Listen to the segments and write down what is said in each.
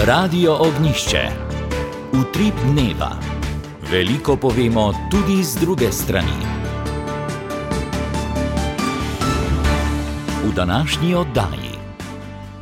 Radio Ognjišče. Utrip dneva. Veliko povemo tudi z druge strani. V današnji oddaji.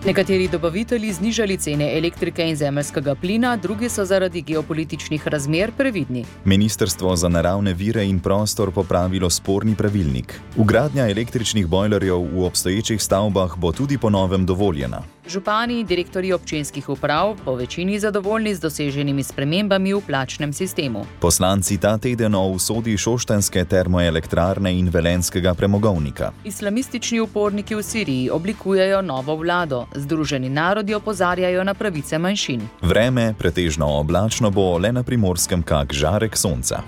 Nekateri dobavitelji znižali cene elektrike in zemeljskega plina, drugi so zaradi geopolitičnih razmer previdni. Ministrstvo za naravne vire in prostor popravilo sporni pravilnik. Vgradnja električnih bojlerjev v obstoječih stavbah bo tudi po novem dovoljena. Župani in direktorji občinskih uprav po večini zadovoljni z doseženimi spremembami v plačnem sistemu. Poslanci ta teden o usodi šoštanjske termoelektrarne in velenjskega premogovnika. Islamistični uporniki v Siriji oblikujejo novo vlado. Združeni narodi opozarjajo na pravice manjšin. Vreme pretežno oblačno bo, le na Primorskem kak žarek sonca.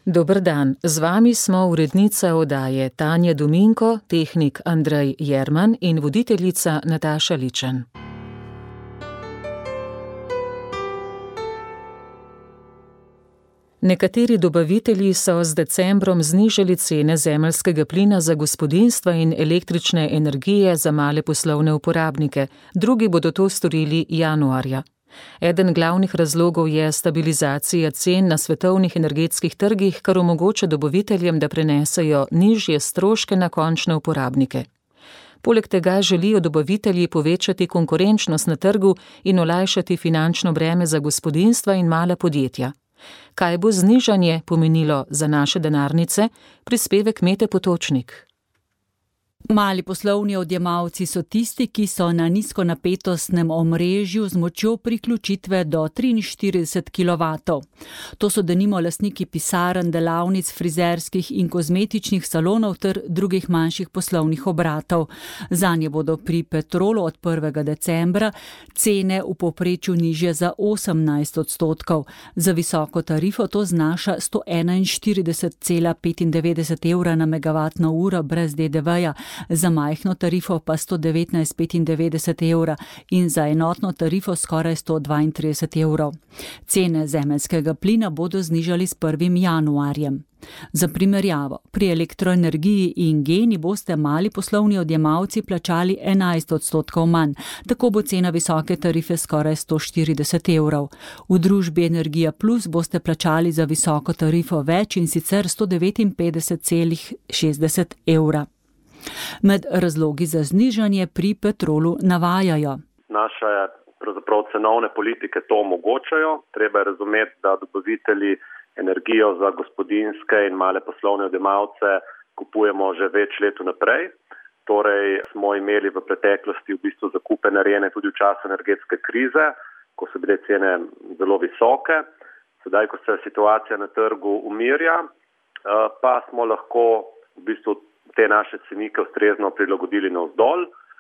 Dober dan, z vami smo urednica oddaje Tanja Dominko, tehnik Andrej Jerman in voditeljica Nataša Ličen. Nekateri dobavitelji so z decembrom znižali cene zemeljskega plina za gospodinjstva in električne energije za male poslovne uporabnike, drugi bodo to storili januarja. Eden glavnih razlogov je stabilizacija cen na svetovnih energetskih trgih, kar omogoča dobaviteljem, da prenesejo nižje stroške na končne uporabnike. Poleg tega želijo dobavitelji povečati konkurenčnost na trgu in olajšati finančno breme za gospodinjstva in mala podjetja. Kaj bo znižanje pomenilo za naše denarnice? Prispevek Mete Potočnik. Mali poslovni odjemalci so tisti, ki so na nizkonapetostnem omrežju z močjo priključitve do 43 kW. To so denimo lastniki pisarn, delavnic, frizerskih in kozmetičnih salonov ter drugih manjših poslovnih obratov. Zanje bodo pri Petrolu od 1. decembra cene v povprečju nižje za 18%. Za visoko tarifo to znaša 141,95 evra na megavatno uro brez DDV-ja, za majhno tarifo pa 119,95 evra in za enotno tarifo skoraj 132 evrov. Cene zemeljskega plina bodo znižali s 1. januarjem. Za primerjavo, pri elektroenergiji in Geni boste mali poslovni odjemalci plačali 11% manj, tako bo cena visoke tarife skoraj 140 evrov. V družbi Energija Plus boste plačali za visoko tarifo več in sicer 159,60 evra. Med razlogi za znižanje pri Petrolu navajajo. Naše pravzaprav cenovne politike to omogočajo. Treba je razumeti, da dobavitelji energijo za gospodinjske in male poslovne odjemalce kupujemo že več let vnaprej. Torej smo imeli v preteklosti v bistvu zakupe narejene tudi v času energetske krize, ko so bile cene zelo visoke. Sedaj, ko se situacija na trgu umirja, pa smo lahko v bistvu te naše cenike ustrezno prilagodili navzdol.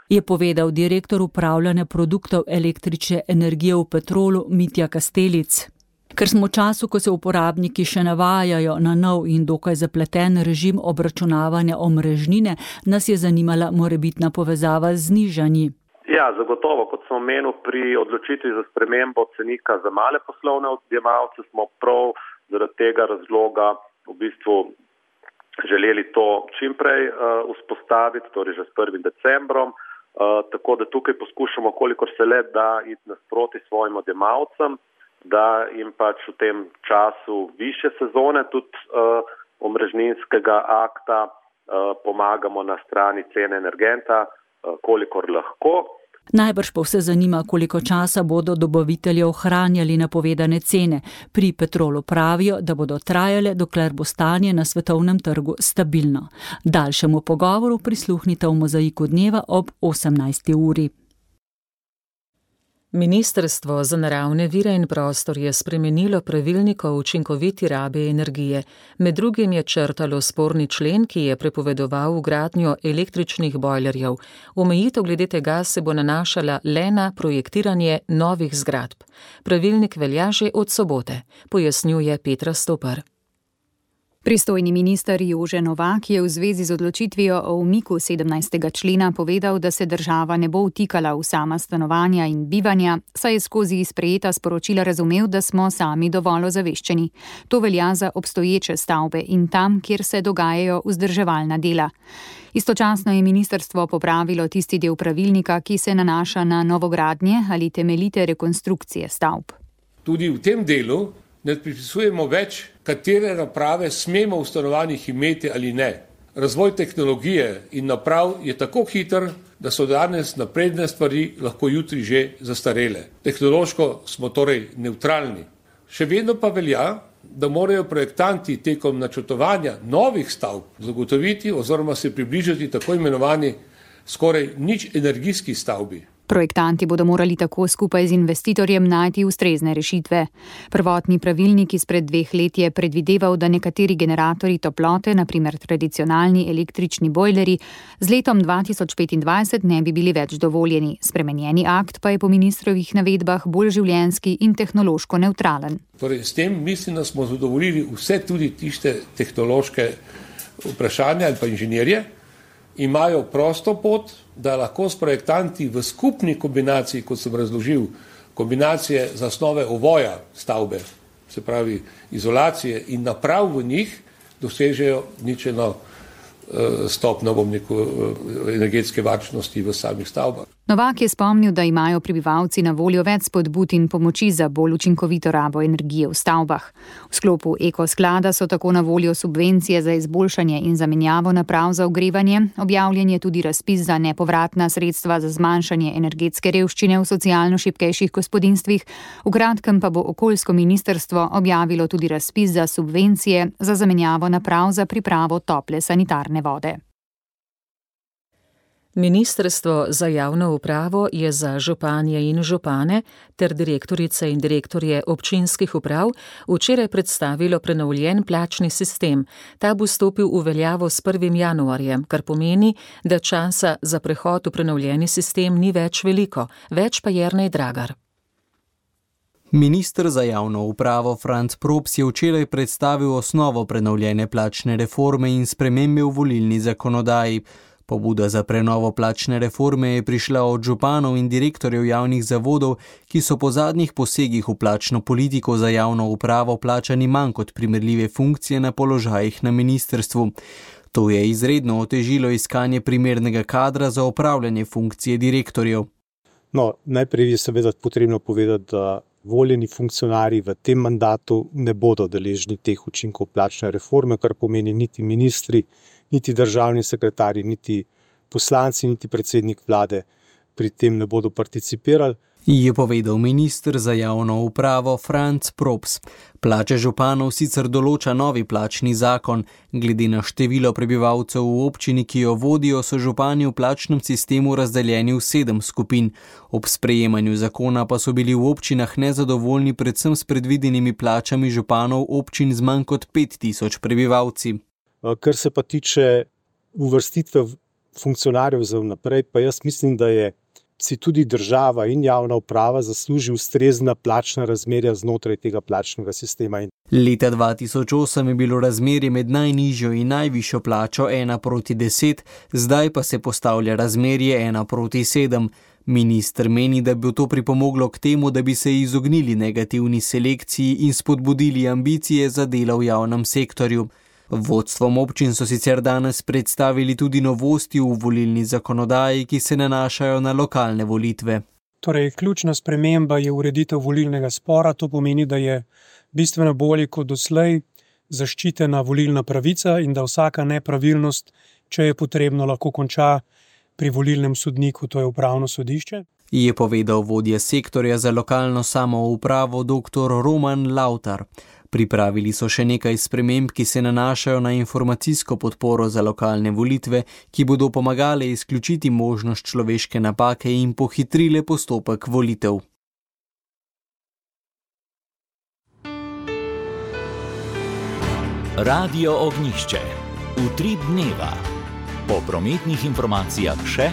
Je povedal direktor upravljanja produktov električne energije v Petrolu Mitja Kastelic. Ker smo v času, ko se uporabniki še navajajo na nov in dokaj zapleten režim obračunavanja omrežnine, nas je zanimala morebitna povezava z znižanji. Ja, zagotovo, kot sem omenil, pri odločitvi za spremembo cenika za male poslovne odjemalce smo prav zaradi tega razloga v bistvu želeli to čimprej vzpostaviti, torej že s 1. decembrom, tako da tukaj poskušamo, kolikor se le da, iti nasproti svojim odjemalcem, da jim pač v tem času višje sezone tudi omrežninskega akta pomagamo na strani cene energenta, kolikor lahko. Najbrž pa vse zanima, koliko časa bodo dobavitelji ohranjali napovedane cene. Pri Petrolu pravijo, da bodo trajale, dokler bo stanje na svetovnem trgu stabilno. Daljšemu pogovoru prisluhnite v Mozaiku dneva ob 18. uri. Ministrstvo za naravne vire in prostor je spremenilo pravilnik o učinkoviti rabi energije. Med drugim je črtalo sporni člen, ki je prepovedoval vgradnjo električnih bojlerjev. Omejitev glede tega se bo nanašala le na projektiranje novih zgradb. Pravilnik velja že od sobote, pojasnjuje Petra Stopar. Pristojni minister Jože Novak je v zvezi z odločitvijo o umiku 17. člena povedal, da se država ne bo vtikala v sama stanovanja in bivanja, saj je skozi sprejeta sporočila razumel, da smo sami dovolj ozaveščeni. To velja za obstoječe stavbe in tam, kjer se dogajajo vzdrževalna dela. Istočasno je ministrstvo popravilo tisti del pravilnika, ki se nanaša na novogradnje ali temeljite rekonstrukcije stavb. Tudi v tem delu ne pripisujemo več, katere naprave smemo v stanovanjih imeti ali ne. Razvoj tehnologije in naprav je tako hiter, da so danes napredne stvari lahko jutri že zastarele. Tehnološko smo torej nevtralni. Še vedno pa velja, da morajo projektanti tekom načrtovanja novih stavb zagotoviti oziroma se približati tako imenovani skoraj nič energijski stavbi. Projektanti bodo morali tako skupaj z investitorjem najti ustrezne rešitve. Prvotni pravilnik izpred 2 let je predvideval, da nekateri generatorji toplote, na primer tradicionalni električni bojlerji, z letom 2025 ne bi bili več dovoljeni. Spremenjeni akt pa je po ministrovih navedbah bolj življenjski in tehnološko nevtralen. Torej, s tem mislim, da smo zadovoljili vse tudi tiste tehnološke vprašanja ali pa inženirje, imajo prosto pot, da lahko s projektanti v skupni kombinaciji, kot sem razložil, kombinacije zasnove ovoja stavbe, se pravi izolacije in naprav v njih, dosežejo ničeno stopnjo energetske varčnosti v samih stavbah. Novak je spomnil, da imajo prebivalci na voljo več spodbud in pomoči za bolj učinkovito rabo energije v stavbah. V sklopu ekosklada so tako na voljo subvencije za izboljšanje in zamenjavo naprav za ogrevanje, objavljen je tudi razpis za nepovratna sredstva za zmanjšanje energetske revščine v socialno šibkejših gospodinjstvih, v kratkem pa bo okoljsko ministrstvo objavilo tudi razpis za subvencije za zamenjavo naprav za pripravo tople sanitarne vode. Ministrstvo za javno upravo je za županje in župane ter direktorice in direktorje občinskih uprav včeraj predstavilo prenovljen plačni sistem. Ta bo stopil v veljavo s 1. januarjem, kar pomeni, da časa za prehod v prenovljeni sistem ni več veliko, več pa Jernej Dragar. Minister za javno upravo Franc Props je včeraj predstavil osnovo prenovljene plačne reforme in spremembe v volilni zakonodaji. Pobuda za prenovo plačne reforme je prišla od županov in direktorjev javnih zavodov, ki so po zadnjih posegih v plačno politiko za javno upravo plačani manj kot primerljive funkcije na položajih na ministrstvu. To je izredno otežilo iskanje primernega kadra za opravljanje funkcije direktorjev. Najprej je seveda potrebno povedati, da voljeni funkcionarji v tem mandatu ne bodo deležni teh učinkov plačne reforme, kar pomeni niti ministri, niti državni sekretarji, niti poslanci, niti predsednik vlade pri tem ne bodo participirali. Je povedal minister za javno upravo Franc Props. Plače županov sicer določa novi plačni zakon. Glede na število prebivalcev v občini, ki jo vodijo, so župani v plačnem sistemu razdeljeni v 7 skupin. Ob sprejemanju zakona pa so bili v občinah nezadovoljni predvsem s predvidenimi plačami županov občin z manj kot 5000 prebivalci. Kar se pa tiče uvrstitve funkcionarjev za vnaprej, pa jaz mislim, da si tudi država in javna uprava zasluži ustrezna plačna razmerja znotraj tega plačnega sistema. Leta 2008 je bilo razmerje med najnižjo in najvišjo plačo 1:10, zdaj pa se postavlja razmerje 1:7. Minister meni, da bi to pripomoglo k temu, da bi se izognili negativni selekciji in spodbudili ambicije za delo v javnem sektorju. Vodstvom občin so sicer danes predstavili tudi novosti v volilni zakonodaji, ki se nanašajo na lokalne volitve. Torej, ključna sprememba je ureditev volilnega spora, to pomeni, da je bistveno bolje kot doslej zaščitena volilna pravica in da vsaka nepravilnost, če je potrebno, lahko konča pri volilnem sodniku, to je upravno sodišče. Je povedal vodja sektorja za lokalno samoupravo dr. Roman Lautar. Pripravili so še nekaj sprememb, ki se nanašajo na informacijsko podporo za lokalne volitve, ki bodo pomagale izključiti možnost človeške napake in pohitrile postopek volitev. Radio Ognjišče. Utrip dneva. Po prometnih informacijah še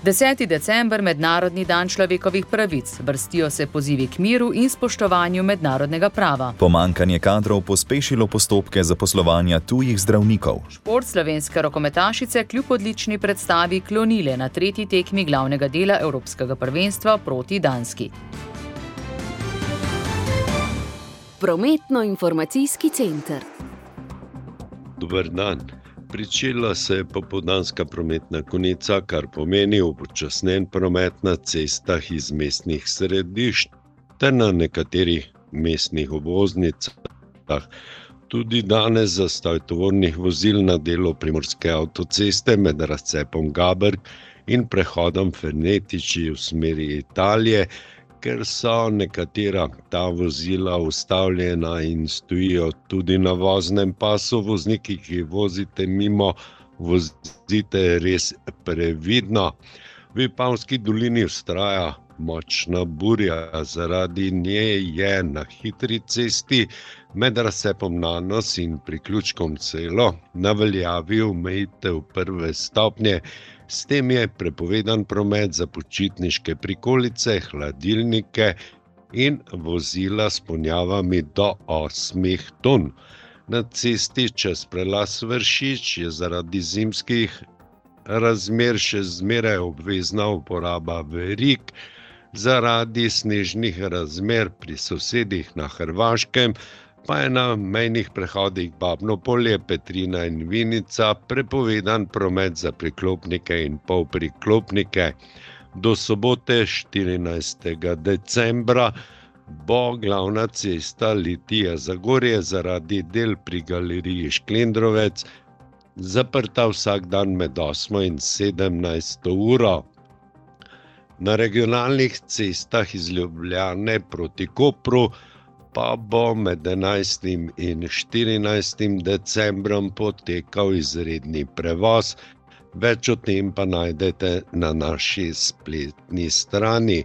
10. december, mednarodni dan človekovih pravic. Vrstijo se pozivi k miru in spoštovanju mednarodnega prava. Pomanjkanje kadrov pospešilo postopke zaposlovanja tujih zdravnikov. Šport, slovenske rokometašice kljub odlični predstavi klonile na 3. tekmi glavnega dela Evropskega prvenstva proti Danski. Prometno-informacijski center. Dober dan. Pričela se je popoldanska prometna konica, kar pomeni upočasnjen promet na cestah iz mestnih središč ter na nekaterih mestnih obvoznicah. Tudi danes zastoj tovornih vozil na delu Primorske avtoceste med razcepom Gaberg in prehodom Fernetiči v smeri Italije, ker so nekatera ta vozila ustavljena in stojijo tudi na voznem pasu. Vozniki, ki vozite mimo, vozite res previdno. V Vipavski dolini vztraja močna burja, zaradi nje je na hitri cesti med razcepom Nanos in priključkom Celo na veljavi omejitev 1. stopnje. S tem je prepovedan promet za počitniške prikolice, hladilnike in vozila s ponjavami do 8 ton. Na cesti čez prelaz Vršič je zaradi zimskih razmer še zmeraj obvezna uporaba verig. Zaradi snežnih razmer pri sosedih na Hrvaškem pa je na mejnih prehodih Babno Polje, Petrina in Vinica prepovedan promet za priklopnike in polpriklopnike. Do sobote 14. decembra bo glavna cesta Litija-Zagorje zaradi del pri galeriji Šklendrovec zaprta vsak dan med 8 in 17 uro. Na regionalnih cestah iz Ljubljane proti Kopru pa bo med 11. in 14. decembrom potekal izredni prevoz. Več o tem pa najdete na naši spletni strani.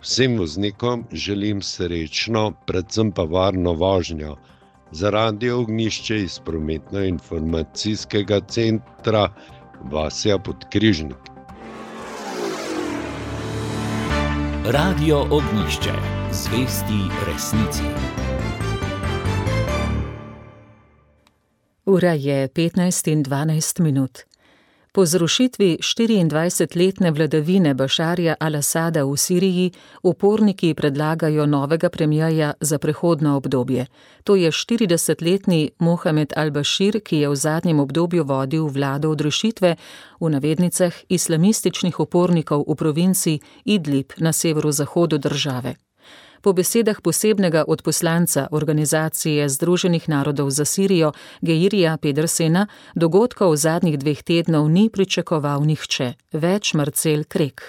Vsem voznikom želim srečno, predvsem pa varno vožnjo. Za Radio Ognjišče iz Prometno-informacijskega centra Vasja Podkrižnik. Radio Ognjišče. Zvesti resnici. Ura je 15:12. Po zrušitvi 24-letne vladavine Bašarja al-Asada v Siriji uporniki predlagajo novega premierja za prehodno obdobje. To je 40-letni Mohamed al-Bashir, ki je v zadnjem obdobju vodil vlado odrešitve, v navednicah, islamističnih upornikov v provinciji Idlib na severozahodu države. Po besedah posebnega odposlanca Organizacije Združenih narodov za Sirijo Geirija Pedersena, dogodkov zadnjih 2 tednov ni pričakoval nihče. Več Marcel Krek.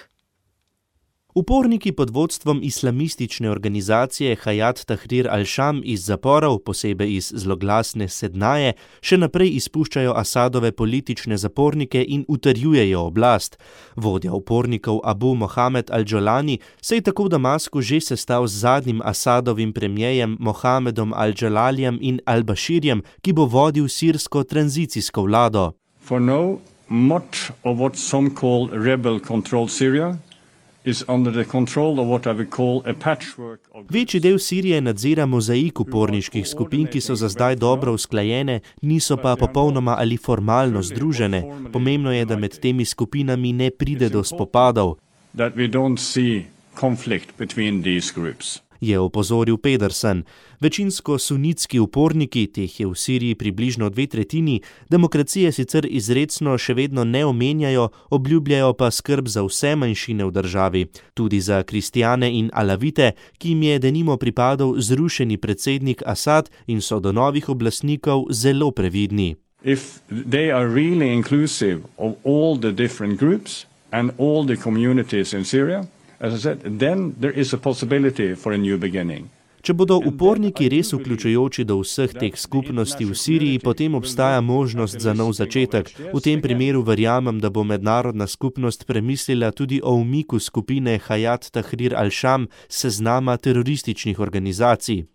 Uporniki pod vodstvom islamistične organizacije Hayat Tahrir al-Sham iz zaporov, posebej iz zloglasne Sednaje, še naprej izpuščajo Asadove politične zapornike in utrjujejo oblast. Vodja upornikov Abu Mohamed al-Jolani se je tako v Damasku že sestal z zadnjim Asadovim premierjem Mohamedom al-Jalalijem in al-Bashirjem, ki bo vodil sirsko tranzicijsko vlado. For now, much of what some call rebel-controlled Syria is under the control of what I would call a patchwork of... Večji del Sirije nadzira mozaik uporniških skupin, ki so za zdaj dobro usklajene, niso pa popolnoma ali formalno združene. Pomembno je, da med temi skupinami ne pride do spopadov. That we don't see conflict between these groups. Je opozoril Pedersen. Večinsko sunitski uporniki, teh je v Siriji približno 2/3, demokracije sicer izrecno še vedno ne omenjajo, obljubljajo pa skrb za vse manjšine v državi, tudi za kristjane in alavite, ki jim je denimo pripadal zrušeni predsednik Asad in so do novih oblastnikov zelo previdni. If they are really inclusive of all the different groups and all the communities in Syria, as I said, then there is a possibility for a new beginning. Če bodo uporniki res vključujoči do vseh teh skupnosti v Siriji, potem obstaja možnost za nov začetek. V tem primeru verjamem, da bo mednarodna skupnost premislila tudi o umiku skupine Hayat Tahrir al-Sham s seznama terorističnih organizacij.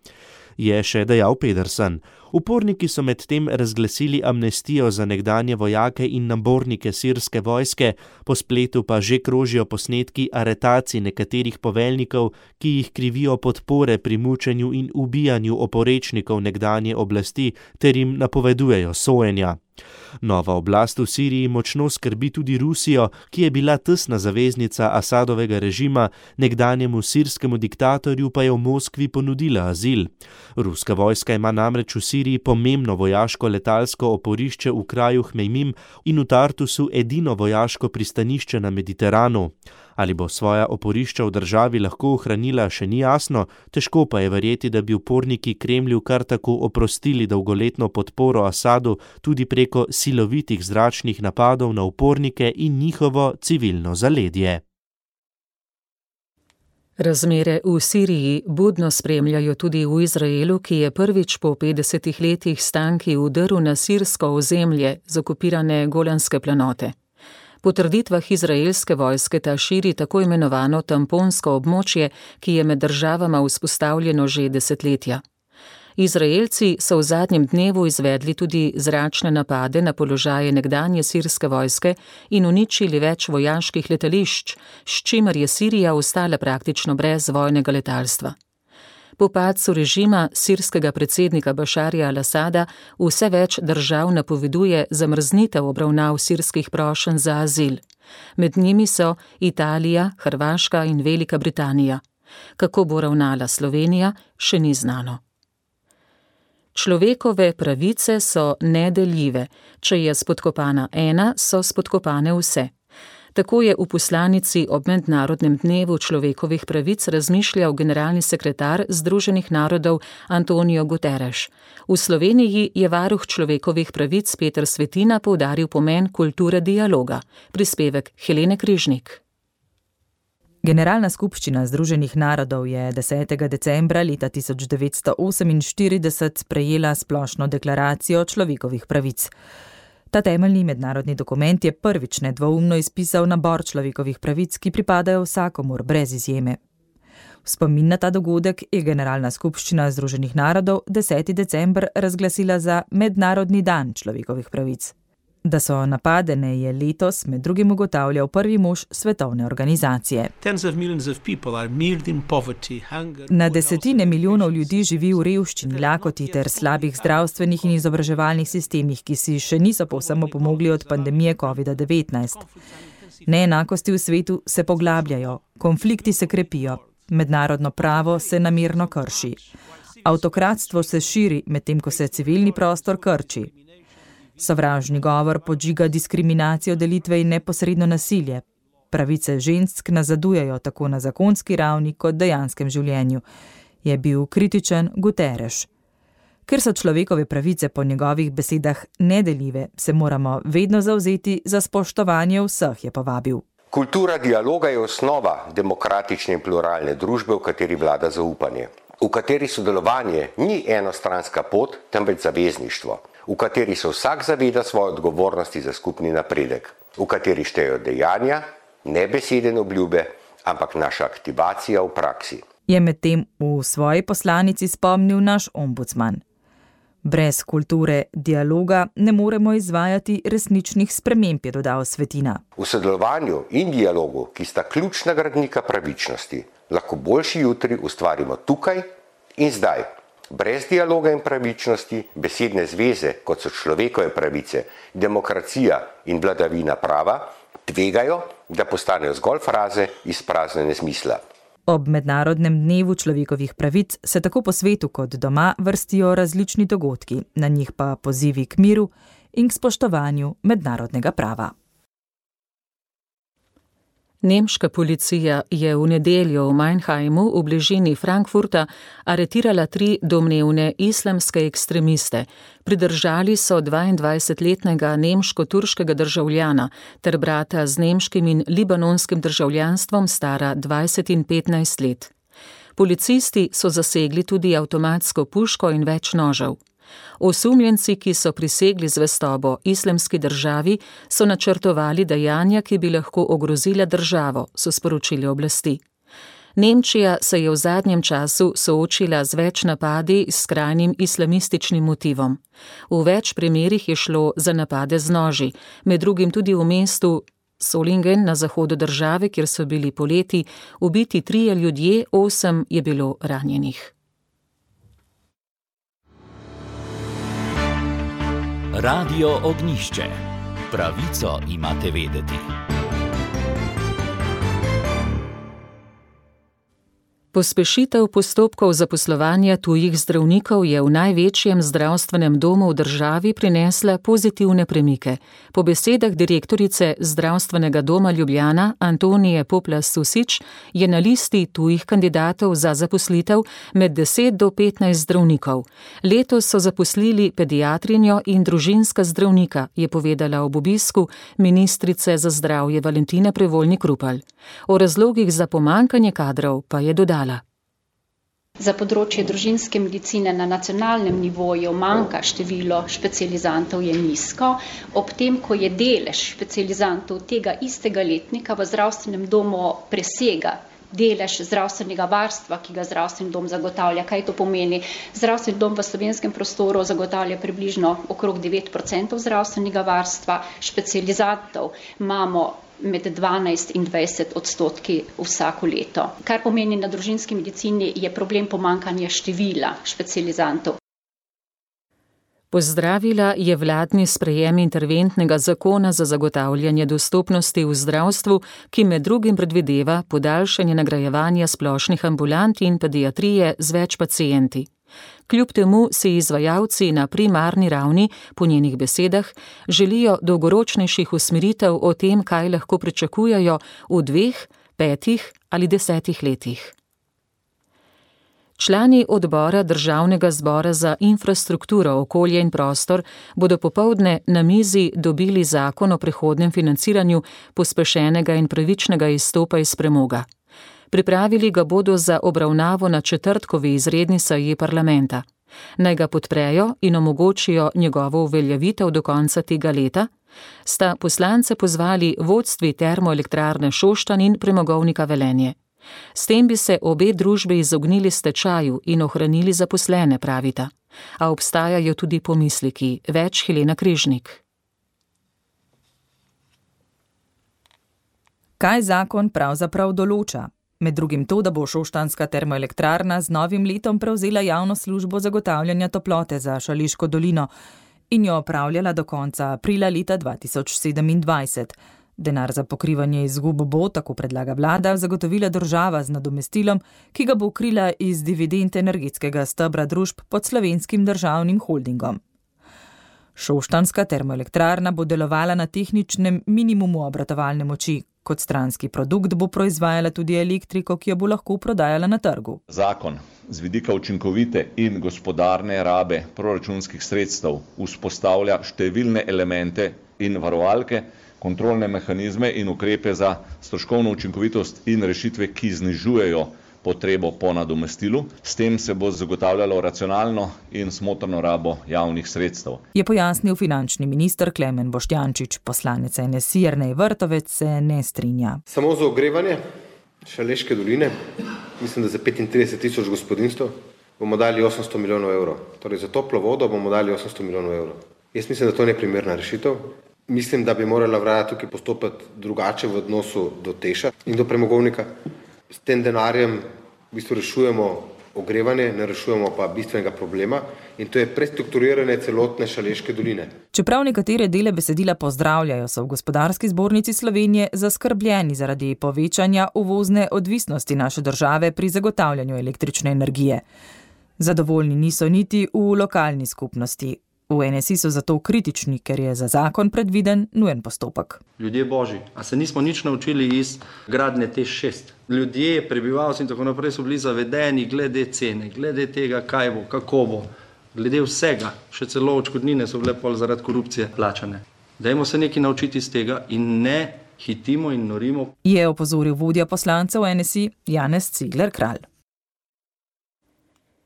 Je še dejal Pedersen. Uporniki so medtem razglasili amnestijo za nekdanje vojake in nabornike sirske vojske, po spletu pa že krožijo posnetki aretacij nekaterih poveljnikov, ki jih krivijo podpore pri mučenju in ubijanju oporečnikov nekdanje oblasti ter jim napovedujejo sojenja. Nova oblast v Siriji močno skrbi tudi Rusijo, ki je bila tesna zaveznica Asadovega režima, nekdanjemu sirskemu diktatorju pa je v Moskvi ponudila azil. Ruska vojska ima namreč v Siriji pomembno vojaško letalsko oporišče v kraju Hmejmim in v Tartusu edino vojaško pristanišče na Mediteranu. Ali bo svoja oporišča v državi lahko ohranila, še ni jasno, težko pa je verjeti, da bi uporniki Kremlju kar tako oprostili dolgoletno podporo Asadu tudi preko silovitih zračnih napadov na upornike in njihovo civilno zaledje. Razmere v Siriji budno spremljajo tudi v Izraelu, ki je prvič po 50 letih s tanki vdrl na sirsko ozemlje z okupirane Golanske planote. Po trditvah izraelske vojske ta širi tako imenovano tamponsko območje, ki je med državama vzpostavljeno že desetletja. Izraelci so v zadnjem dnevu izvedli tudi zračne napade na položaje nekdanje sirske vojske in uničili več vojaških letališč, s čimer je Sirija ostala praktično brez vojnega letalstva. Po padcu režima sirskega predsednika Bašarja al-Asada vse več držav napoveduje zamrznitev obravnav sirskih prošenj za azil. Med njimi so Italija, Hrvaška in Velika Britanija. Kako bo ravnala Slovenija, še ni znano. Človekove pravice so nedeljive. Če je spodkopana ena, so spodkopane vse. Tako je v poslanici ob Mednarodnem dnevu človekovih pravic razmišljal generalni sekretar Združenih narodov Antonio Guterres. V Sloveniji je varuh človekovih pravic Peter Svetina poudaril pomen kulture dialoga. Prispevek Helene Križnik. Generalna skupščina Združenih narodov je 10. decembra leta 1948 sprejela splošno deklaracijo človekovih pravic. Ta temeljni mednarodni dokument je prvič nedvoumno izpisal nabor človekovih pravic, ki pripadajo vsakomur brez izjeme. V spomin na ta dogodek je Generalna skupščina Združenih narodov 10. december razglasila za Mednarodni dan človekovih pravic. Da so napadene, je letos med drugim ugotavljal prvi mož svetovne organizacije. Na desetine milijonov ljudi živi v revščini, lakoti ter slabih zdravstvenih in izobraževalnih sistemih, ki si še niso povsem opomogli od pandemije COVID-19. Neenakosti v svetu se poglabljajo, konflikti se krepijo, mednarodno pravo se namerno krši. Avtokratstvo se širi, medtem ko se civilni prostor krči. Sovražni govor podžiga diskriminacijo, delitve in neposredno nasilje. Pravice žensk nazadujejo tako na zakonski ravni kot dejanskem življenju, je bil kritičen Guterres. Ker so človekove pravice po njegovih besedah nedeljive, se moramo vedno zavzeti za spoštovanje vseh, je povabil. Kultura dialoga je osnova demokratične in pluralne družbe, v kateri vlada zaupanje, v kateri sodelovanje ni enostranska pot, temveč zavezništvo, v kateri se vsak zaveda svoje odgovornosti za skupni napredek, v kateri štejejo dejanja, ne besede in obljube, ampak naša aktivacija v praksi. Je medtem v svoji poslanici spomnil naš ombudsman. Brez kulture dialoga ne moremo izvajati resničnih sprememb, je dodal Svetina. V sodelovanju in dialogu, ki sta ključna gradnika pravičnosti, lahko boljši jutri ustvarimo tukaj in zdaj. Brez dialoga in pravičnosti, besedne zveze, kot so človekove pravice, demokracija in vladavina prava, tvegajo, da postanejo zgolj fraze izpraznjene smisla. Ob Mednarodnem dnevu človekovih pravic se tako po svetu kot doma vrstijo različni dogodki, na njih pa pozivi k miru in k spoštovanju mednarodnega prava. Nemška policija je v nedeljo v Mannheimu v bližini Frankfurta aretirala 3 domnevne islamske ekstremiste. Pridržali so 22-letnega nemško-turškega državljana ter brata z nemškim in libanonskim državljanstvom stara 20 in 15 let. Policisti so zasegli tudi avtomatsko puško in več nožev. Osumljenci, ki so prisegli zvestobo Islamski državi, so načrtovali dejanja, ki bi lahko ogrozila državo, so sporočili oblasti. Nemčija se je v zadnjem času soočila z več napadi s skrajnim islamističnim motivom. V več primerih je šlo za napade z noži, med drugim tudi v mestu Solingen na zahodu države, kjer so bili poleti ubiti 3 ljudje, 8 je bilo ranjenih. Radio Ognjišče. Pravico imate vedeti. Pospešitev postopkov zaposlovanja tujih zdravnikov je v največjem zdravstvenem domu v državi prinesla pozitivne premike. Po besedah direktorice Zdravstvenega doma Ljubljana Antonije Poplas-Susič je na listi tujih kandidatov za zaposlitev med 10 do 15 zdravnikov. Letos so zaposlili pediatrinjo in družinska zdravnika, je povedala ob obisku ministrice za zdravje Valentina Prevolnik Rupel. O razlogih za pomanjkanje kadrov pa je dodala. Za področje družinske medicine na nacionalnem nivoju manjka število specializantov je nizko, ob tem, ko je delež specializantov tega istega letnika v zdravstvenem domu presega delež zdravstvenega varstva, ki ga zdravstveni dom zagotavlja. Kaj to pomeni? Zdravstveni dom v slovenskem prostoru zagotavlja približno okrog 9% zdravstvenega varstva, specializantov imamo med 12 in 20% vsako leto. Kar pomeni, na družinski medicini je problem pomanjkanja števila specializantov. Pozdravila je vladni sprejem interventnega zakona za zagotavljanje dostopnosti v zdravstvu, ki med drugim predvideva podaljšanje nagrajevanja splošnih ambulant in pediatrije z več pacienti. Kljub temu si izvajalci na primarni ravni, po njenih besedah, želijo dolgoročnejših usmeritev o tem, kaj lahko pričakujejo v 2, 5 ali 10 letih. Člani odbora Državnega zbora za infrastrukturo, okolje in prostor bodo popoldne na mizi dobili zakon o prehodnem financiranju pospešenega in pravičnega izstopa iz premoga. Pripravili ga bodo za obravnavo na četrtkovi izredni seji parlamenta. Naj ga podprejo in omogočijo njegovo uveljavitev do konca tega leta, sta poslance pozvali vodstvi Termoelektrarne Šoštanj in Premogovnika Velenje. S tem bi se obe družbi izognili stečaju in ohranili zaposlene, pravita. A obstajajo tudi pomisleki. Več Helena Križnik. Kaj zakon pravzaprav določa? Med drugim to, da bo šoštanjska termoelektrarna z novim letom prevzela javno službo zagotavljanja toplote za Šaleško dolino in jo opravljala do konca aprila leta 2027. Denar za pokrivanje izgub bo, tako predlaga vlada, zagotovila država z nadomestilom, ki ga bo krila iz dividend energetskega stebra družb pod Slovenskim državnim holdingom. Šoštanjska termoelektrarna bo delovala na tehničnem minimumu obratovalne moči. Kot stranski produkt bo proizvajala tudi elektriko, ki jo bo lahko prodajala na trgu. Zakon z vidika učinkovite in gospodarne rabe proračunskih sredstev vzpostavlja številne elemente in varovalke, kontrolne mehanizme in ukrepe za stroškovno učinkovitost in rešitve, ki znižujejo potrebo po nadomestilu. S tem se bo zagotavljalo racionalno in smotrno rabo javnih sredstev. Je pojasnil finančni minister Klemen Boštjančič. Poslanec NSI Jernej Vrtovec se ne strinja. Samo za ogrevanje Šaleške doline, mislim, da za 35,000 gospodinjstev, bomo dali 800 milijonov evrov. Torej za toplo vodo bomo dali 800 milijonov evrov. Jaz mislim, da to ni primerna rešitev. Mislim, da bi morala vlada tukaj postopati drugače v odnosu do Teša in do premogovnika. S tem denarjem v bistvu rešujemo ogrevanje, ne rešujemo pa bistvenega problema in to je prestrukturiranje celotne Šaleške doline. Čeprav nekatere dele besedila pozdravljajo, so v Gospodarski zbornici Slovenije zaskrbljeni zaradi povečanja uvozne odvisnosti naše države pri zagotavljanju električne energije. Zadovoljni niso niti v lokalni skupnosti. V NSI so zato kritični, ker je za zakon predviden nujen postopek. Ljudje božji, a se nismo nič naučili iz gradnje TEŠ 6? Ljudje, prebivalci in tako naprej so bili zavedeni glede cene, glede tega, kaj bo, kako bo, glede vsega, še celo odškodnine so bile pol zaradi korupcije plačane. Dajmo se nekaj naučiti iz tega in ne hitimo in norimo. Je opozoril vodja poslancev NSI Janez Cigler Kralj.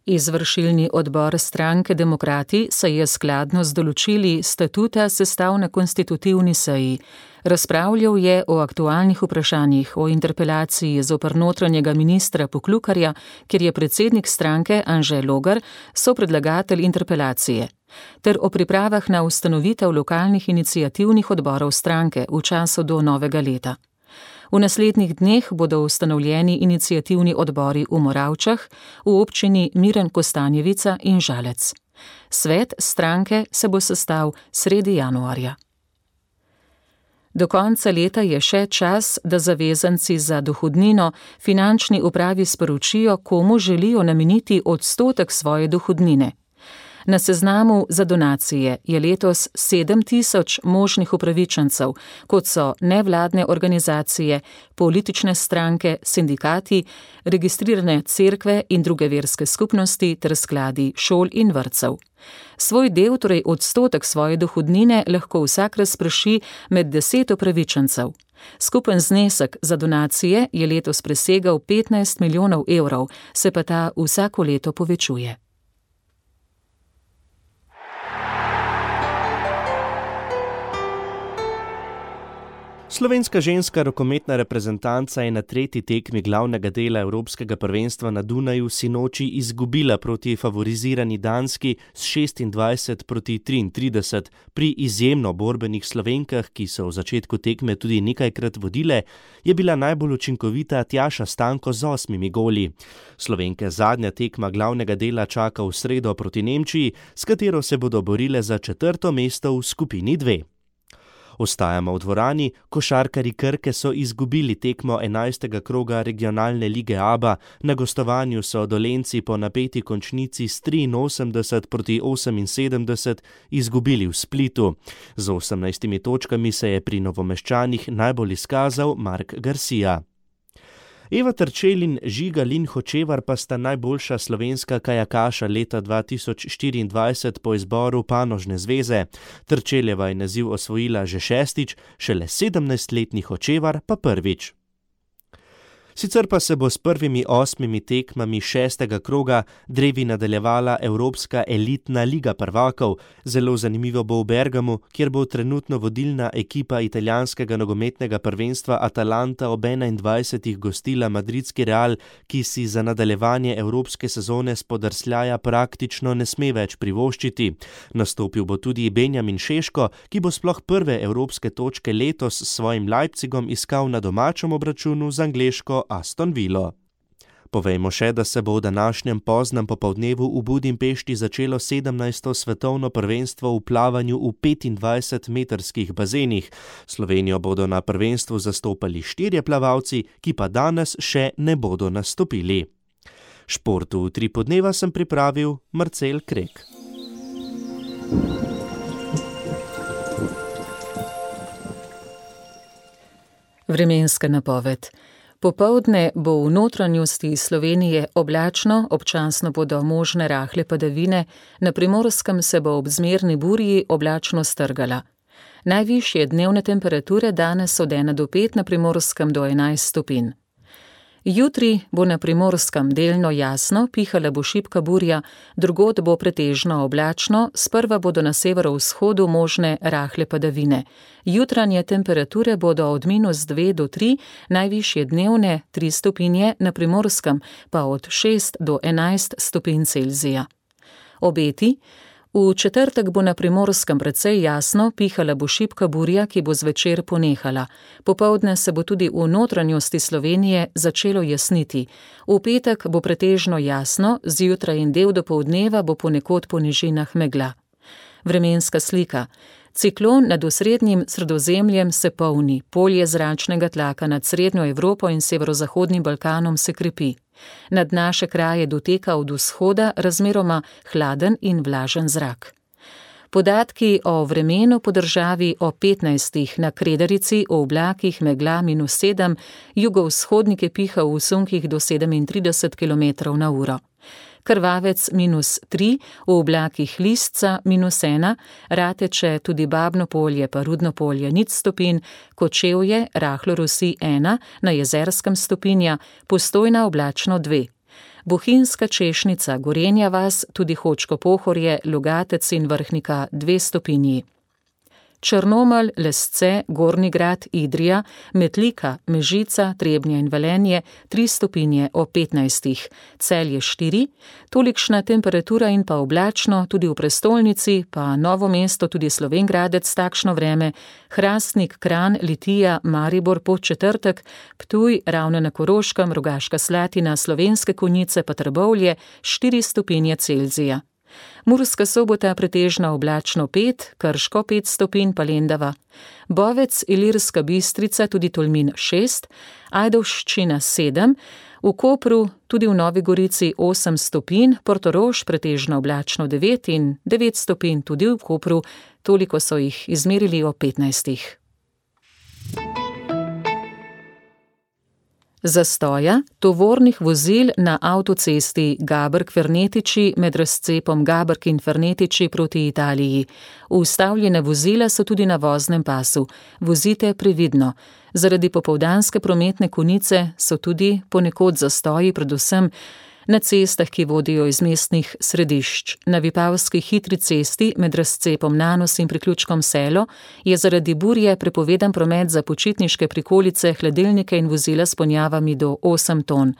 Izvršilni odbor stranke Demokrati se je skladno z določili statuta sestal na konstitutivni seji. Razpravljal je o aktualnih vprašanjih, o interpelaciji zoper notranjega ministra Poklukarja, kjer je predsednik stranke Anže Logar sopredlagatelj interpelacije, ter o pripravah na ustanovitev lokalnih iniciativnih odborov stranke v času do novega leta. V naslednjih dneh bodo ustanovljeni iniciativni odbori v Moravčah, v občini Miren Kostanjevica in Žalec. Svet stranke se bo sestal sredi januarja. Do konca leta je še čas, da zavezanci za dohodnino finančni upravi sporočijo, komu želijo nameniti odstotek svoje dohodnine. Na seznamu za donacije je letos 7.000 možnih upravičencev, kot so nevladne organizacije, politične stranke, sindikati, registrirane cerkve in druge verske skupnosti ter skladi šol in vrtcev. Svoj del, torej odstotek svoje dohodnine, lahko vsak razprši med 10 upravičencev. Skupen znesek za donacije je letos presegal 15 milijonov evrov, se pa ta vsako leto povečuje. Slovenska ženska rokometna reprezentanca je na tretji tekmi glavnega dela Evropskega prvenstva na Dunaju sinoči izgubila proti favorizirani Danski s 26-33. Pri izjemno borbenih Slovenkah, ki so v začetku tekme tudi nekajkrat vodile, je bila najbolj učinkovita Tjaša Stanko z 8 goli. Slovenke zadnja tekma glavnega dela čaka v sredo proti Nemčiji, s katero se bodo borile za 4. mesto v skupini 2. Ostajamo v dvorani, košarkarji Krke so izgubili tekmo 11. kroga regionalne lige ABA, na gostovanju so Dolenjci po napeti končnici s 83-78 izgubili v Splitu. Z 18 točkami se je pri Novomeščanih najbolj izkazal Mark Garcia. Eva Terčelj in Žiga Lin Hočevar pa sta najboljša slovenska kajakaša leta 2024 po izboru panožne zveze. Terčeljeva je naziv osvojila že 6., šele 17-letni Hočevar pa prvič. Sicer pa se bo s prvimi 8 tekmami 6. kroga drevi nadaljevala Evropska elitna liga prvakov. Zelo zanimivo bo v Bergamu, kjer bo trenutno vodilna ekipa italijanskega nogometnega prvenstva Atalanta ob 21. gostila madridski Real, ki si za nadaljevanje evropske sezone spodrsljaja praktično ne sme več privoščiti. Nastopil bo tudi Benjamin Šeško, ki bo sploh prve evropske točke letos s svojim Leipzigom iskal na domačem obračunu z angleško Aston Villo. Povejmo še, da se bo v današnjem poznem popoldnevu v Budimpešti začelo 17. svetovno prvenstvo v plavanju v 25-metrskih bazenih. Slovenijo bodo na prvenstvu zastopali 4 plavalci, ki pa danes še ne bodo nastopili. Športu v 3 podneva sem pripravil Marcel Krek. Vremenska napoved. Popoldne bo v notranjosti Slovenije oblačno, občasno bodo možne rahle padavine, na Primorskem se bo ob zmerni burji oblačno strgala. Najvišje dnevne temperature danes od 1 do 5, na Primorskem do 11 stopinj. Jutri bo na Primorskem delno jasno, pihala bo šibka burja, drugod bo pretežno oblačno, sprva bodo na severovzhodu možne rahle padavine. Jutranje temperature bodo od -2 do 3, najvišje dnevne 3 stopinje, na Primorskem pa od 6 do 11 stopinj Celzija. Obeti. V četrtek bo na Primorskem precej jasno, pihala bo šibka burja, ki bo zvečer ponehala. Popoldne se bo tudi v notranjosti Slovenije začelo jasniti. V petek bo pretežno jasno, zjutraj in del dopoldneva bo ponekod po nižinah megla. Vremenska slika. Ciklon nad osrednjim Sredozemljem se polni, polje zračnega tlaka nad srednjo Evropo in severozahodnim Balkanom se krepi. Nad naše kraje doteka od vzhoda razmeroma hladen in vlažen zrak. Podatki o vremenu po državi o 15. na Kredarici, o oblakih megla -7, jugovzhodnike piha v sunkih do 37 km/h. Krvavec -3, v oblakih Listca -1, Rateče, tudi Babno polje pa Rudno polje 0 stopinj, Kočevje, rahlo rosi 1, na Jezerskem stopinja, Postojna oblačno 2. Bohinjska Češnica, Gorenja vas, tudi Hočko Pohorje, Logatec in Vrhnika 2 stopinji. Črnomelj, Lesce, Gornji Grad, Idrija, Metlika, Mežica, Trebnje in Velenje 3 stopinje ob 15, Celje 4, tolikšna temperatura in pa oblačno, tudi v prestolnici, pa Novo mesto, tudi Slovenj Gradec takšno vreme, Hrastnik, Kranj, Litija, Maribor Podčetrtek, Ptuj, Ravne na Koroškem, Rogaška Slatina, Slovenske Konjice pa Trbovlje 4 stopinje Celzija. Murska Sobota pretežno oblačno 5, Krško 5 stopinj pa Lendava. Bovec, Ilirska Bistrica, tudi Tolmin 6, Ajdovščina 7, v Kopru, tudi v Novi Gorici 8 stopinj, Portorož pretežno oblačno 9 in 9 stopinj tudi v Kopru, toliko so jih izmerili o 15. Zastoja tovornih vozil na avtocesti Gabrk-Fernetiči med razcepom Gabrk in Fernetiči proti Italiji. Ustavljene vozila so tudi na voznem pasu. Vozite previdno. Zaradi popoldanske prometne konice so tudi ponekod zastoji, predvsem na cestah, ki vodijo iz mestnih središč. Na Vipavski hitri cesti med razcepom Nanos in priključkom Selo je zaradi burje prepovedan promet za počitniške prikolice, hladilnike in vozila s ponjavami do 8 ton.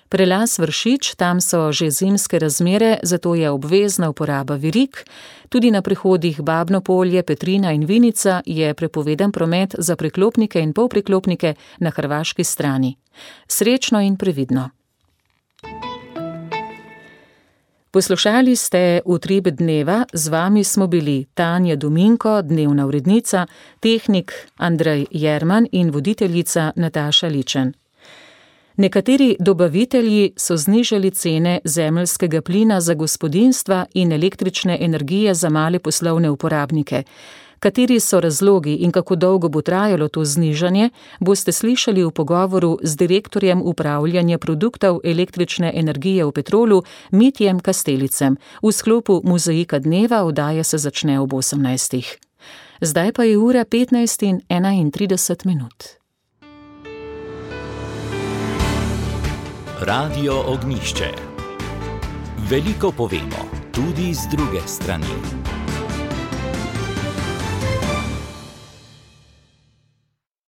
Prelaz Vršič, tam so že zimske razmere, zato je obvezna uporaba verig. Tudi na prehodih Babno Polje, Petrina in Vinica je prepovedan promet za priklopnike in polpriklopnike na hrvaški strani. Srečno in previdno. Poslušali ste Utrip dneva, z vami smo bili Tanja Dominko, dnevna urednica, tehnik Andrej Jerman in voditeljica Nataša Ličen. Nekateri dobavitelji so znižali cene zemeljskega plina za gospodinjstva in električne energije za male poslovne uporabnike. Kateri so razlogi in kako dolgo bo trajalo to znižanje, boste slišali v pogovoru z direktorjem upravljanja produktov električne energije v Petrolu Mitjem Kastelicem. V sklopu Mozaika dneva oddaja se začne ob 18. Zdaj pa je ura 15:31. Radio Ognjišče. Veliko povemo, tudi z druge strani.